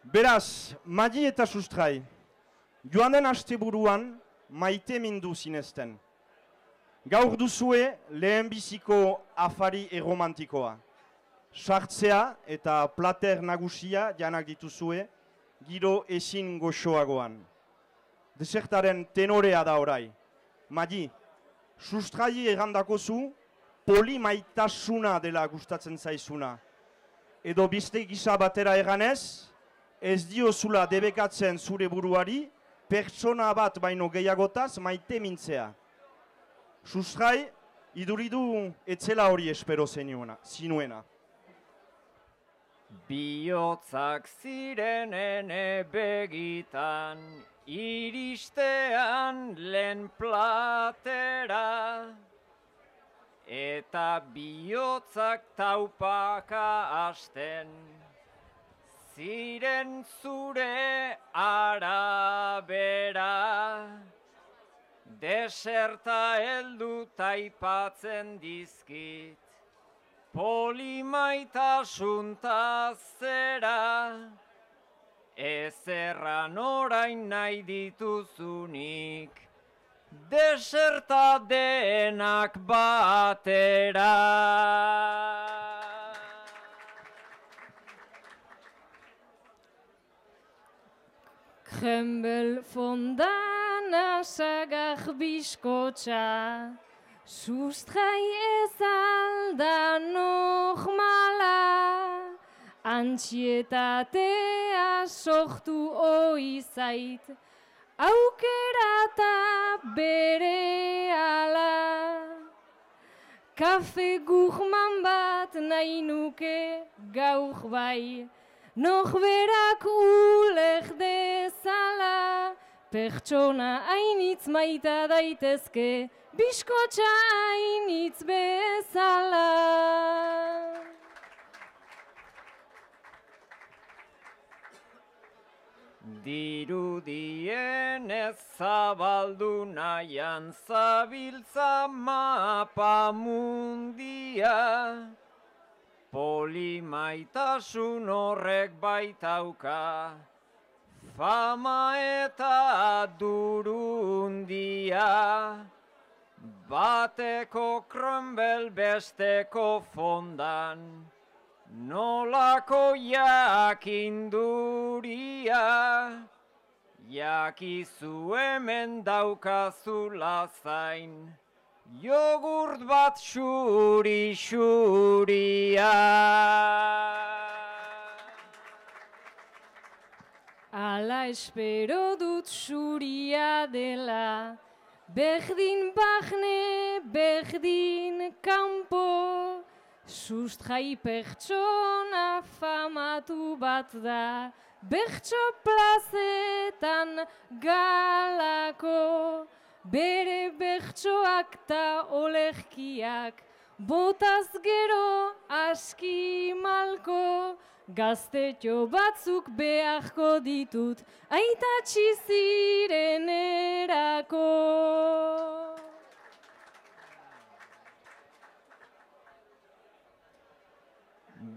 Beraz, Madi eta Sustrai, joan den asteburuan maite mindu zinezten. Gaur duzue lehenbiziko afari erromantikoa. Sartzea eta plater nagusia janak dituzue, giro ezin goxoagoan. Desertaren tenorea da orai. Madi, Sustrai errandakozu polimaitasuna dela gustatzen zaizuna. Edo beste gisa batera eganez, ez diozula debekatzen zure buruari, pertsona bat baino gehiagotaz maite mintzea. Sustrai, iduridu etzela hori espero zinuena. Bihotzak zirenen begitan, iristean lehen platera, eta bihotzak taupaka hasten, ziren zure arabera. Deserta heldu taipatzen dizkit, polimaitasuna zera, ezerran orain nahi dituzunik, deserta denak batera. Krembel fondana sagar biskotxa, Sustrai ez alda normala, antsietatea sortu ohi zait, aukerata bere ala. Kafe gurman bat nahi nuke gaur bai, norberak uler dezala, pertsona hainitz maita daitezke, biskotxa hainitz bezala. Dirudien ez zabaldu nahian zabiltza mapa mundia, polimaitasun horrek baitauka, fama eta durundia, bateko krembel besteko fondan, nolako jakinduria, jakizu hemen daukazula zain, jogurt bat xuri-xuria. Ala espero dut xuria dela, berdin bahne, berdin kanpo, Sustrai pertsona famatu bat da, bertso plazetan galako, bere bertsoak ta olerkiak, botaz gero aski malko, gaztetxo batzuk beharko ditut, aitatxi zirenerako.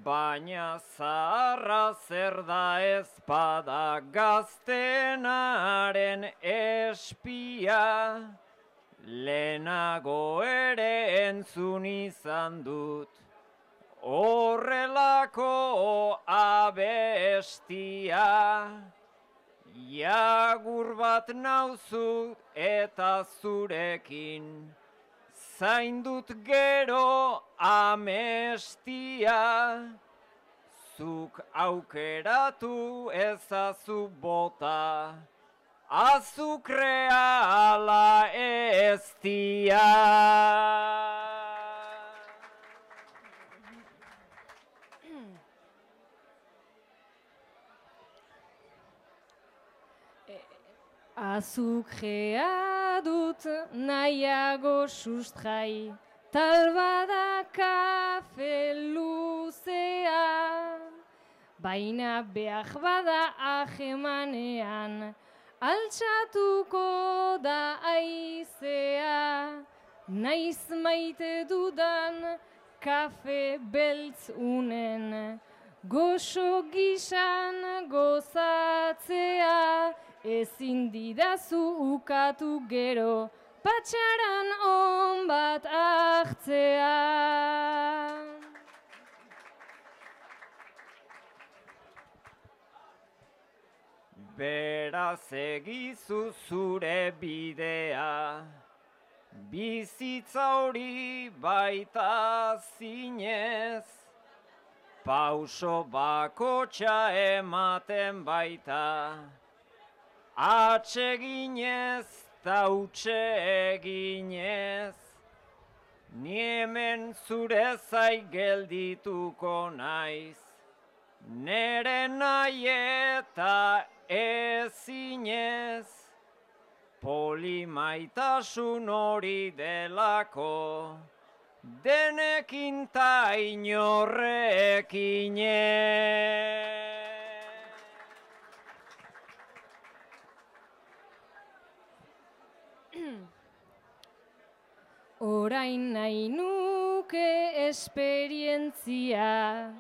Baina zaharra zer da ezpada gaztenaren espia, lehenago ere entzun izan dut, horrelako abestia, jagur bat nauzu eta zurekin, zaindut gero amestia, zuk aukeratu ezazu bota, azukrea ala eztia. Azukrea dut nahiago Sustrai, talbada kafe luzea, baina behar bada ahemanean, altxatuko da aizea, naiz maite dudan kafe beltz unen, goxo gisan gozatzea, ezin didazu ukatu gero, patxaran on bat hartzea. Beraz egizu zure bidea, bizitza hori baita zinez, pauso bakotxa ematen baita, atseginez ta utxe eginez, ni hemen zure zai geldituko naiz, nere nahi eta ezinez, polimaitasun hori delako, denekin ta inorrekinez. Orain nahi nuke esperientzia,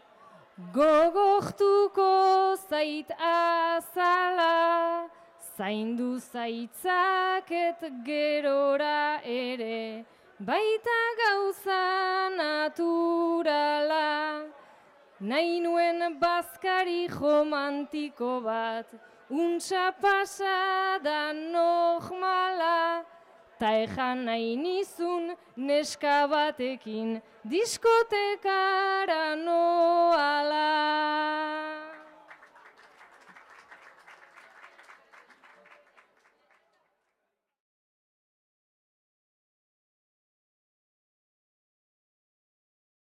gogortuko zait azala, zaindu zaitzaket gerora ere, baita gauza naturala. Nahi nuen bazkari romantiko bat, untxa pasada normala, ta ejan nahi nizun neska batekin diskotekara